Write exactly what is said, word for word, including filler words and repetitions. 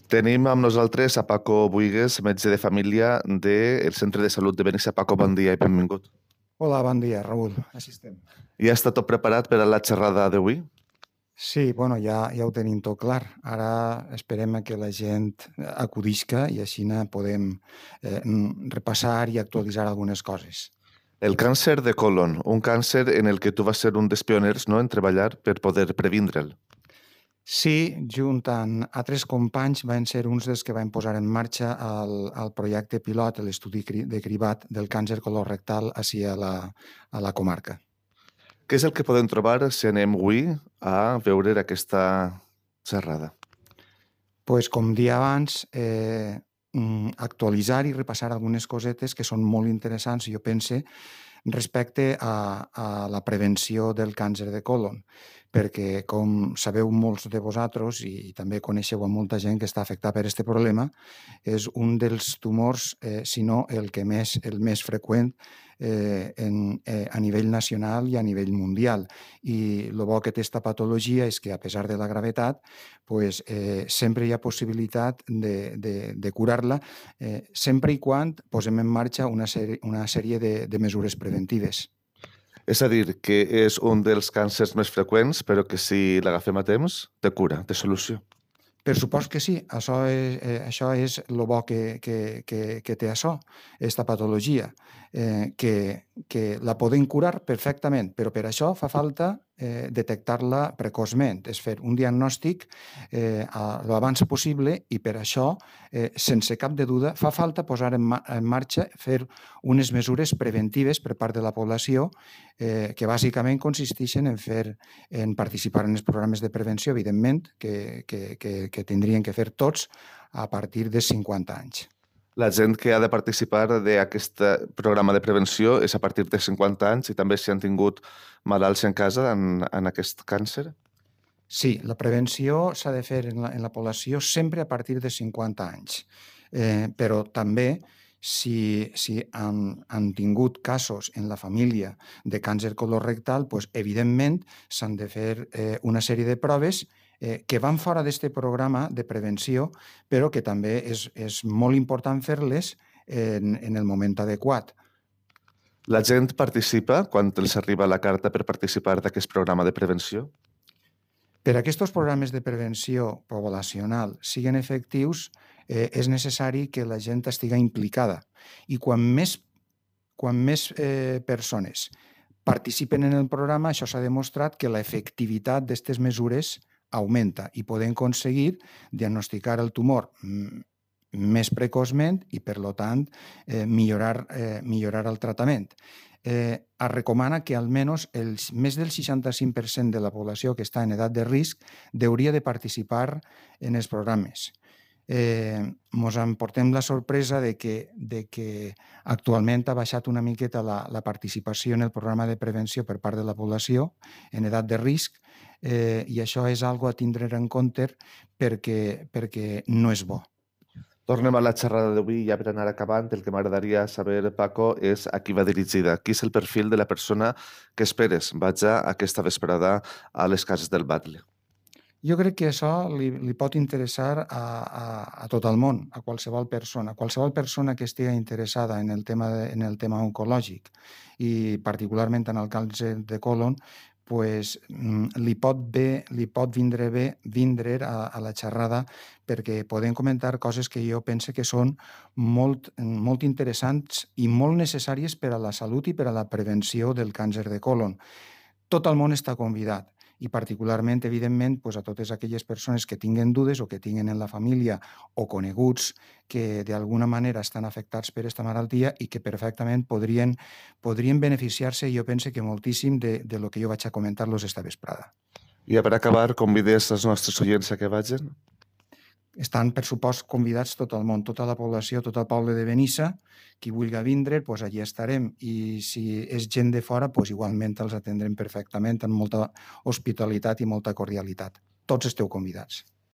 Tenim amb nosaltres a Paco Buigues, metge de família del Centre de Salut de Benissa. Paco, bon dia i benvingut. Hola, bon dia, Raül. Així estem. Ja està tot preparat per a la xerrada d'avui? Sí, bueno, ja, ja ho tenim tot clar. Ara esperem que la gent acudisca i així podem eh, repassar i actualitzar algunes coses. El càncer de colon, un càncer en el que tu vas ser un dels pioners, no?, en treballar per poder previndre'l. Sí, junt amb altres companys van ser uns dels que van posar en marxa el, el projecte pilot, l'estudi de cribat del càncer colorectal així a la, a la comarca. Què és el que podem trobar si anem avui a veure aquesta xerrada? Pues, com dia abans, eh, actualitzar i repassar algunes cosetes que són molt interessants, jo pense, respecte a, a la prevenció del càncer de colon, perquè, com sabeu molts de vosaltres i, i també coneixeu a molta gent que està afectada per aquest problema, és un dels tumors, eh, si no el que més, el més freqüent eh, en, eh, a nivell nacional i a nivell mundial. I el bo que té aquesta patologia és que, a pesar de la gravetat, pues, eh, sempre hi ha possibilitat de, de, de curar-la, eh, sempre i quan posem en marxa una sèrie, una sèrie de, de mesures preventives. És a dir, que és un dels càncers més freqüents, però que si l'agafem a temps, té cura, té solució. Per supost que sí, això és, eh, això és el bo que, que, que, que té això, aquesta patologia, eh, que, que la podem curar perfectament, però per això fa falta eh, detectar-la precoçment, és fer un diagnòstic eh, l'abans possible i per això, eh, sense cap de duda, fa falta posar en, ma en marxa, fer unes mesures preventives per part de la població eh, que bàsicament consisteixen en, fer, en participar en els programes de prevenció, evidentment, que, que, que, que tindrien que fer tots a partir de cinquanta anys. La gent que ha de participar d'aquest programa de prevenció és a partir de cinquanta anys i també si han tingut malalts en casa en, en aquest càncer? Sí, la prevenció s'ha de fer en la, en la població sempre a partir de cinquanta anys, eh, però també si, si han, han tingut casos en la família de càncer colorectal, pues, evidentment s'han de fer eh, una sèrie de proves eh, que van fora d'aquest programa de prevenció, però que també és, és molt important fer-les en, en el moment adequat. La gent participa quan els arriba la carta per participar d'aquest programa de prevenció? Per a aquests programes de prevenció poblacional siguin efectius, eh, és necessari que la gent estigui implicada. I quan més, quan més eh, persones participen en el programa, això s'ha demostrat que l'efectivitat d'aquestes mesures augmenta i podem aconseguir diagnosticar el tumor més precoçment i, per tant, eh, millorar, eh, millorar el tractament. Eh, es recomana que almenys el, més del seixanta-cinc per cent de la població que està en edat de risc hauria de participar en els programes. Eh, mos emportem la sorpresa de que, de que actualment ha baixat una miqueta la, la participació en el programa de prevenció per part de la població en edat de risc eh, i això és algo a tindre en compte perquè, perquè no és bo. Tornem a la xerrada d'avui, ja per anar acabant. El que m'agradaria saber, Paco, és a qui va dirigida. Qui és el perfil de la persona que esperes vaja aquesta vesprada a les cases del Batle? Jo crec que això li, li pot interessar a, a, a tot el món, a qualsevol persona, qualsevol persona que estigui interessada en el tema, de, en el tema oncològic i particularment en el càncer de colon, pues, li pot bé, li pot vindre bé vindre a, a la xerrada perquè podem comentar coses que jo pense que són molt, molt interessants i molt necessàries per a la salut i per a la prevenció del càncer de colon. Tot el món està convidat i particularment, evidentment, pues, a totes aquelles persones que tinguen dudes o que tinguen en la família o coneguts que d'alguna manera estan afectats per aquesta malaltia i que perfectament podrien, podrien beneficiar-se, jo penso que moltíssim, de, de lo que jo vaig a comentar-los esta vesprada. I per acabar, convides els nostres oients a que vagin? Estan, per supost, convidats tot el món, tota la població, tot el poble de Benissa, qui vulgui vindre, doncs allí estarem. I si és gent de fora, doncs igualment els atendrem perfectament, amb molta hospitalitat i molta cordialitat. Tots esteu convidats.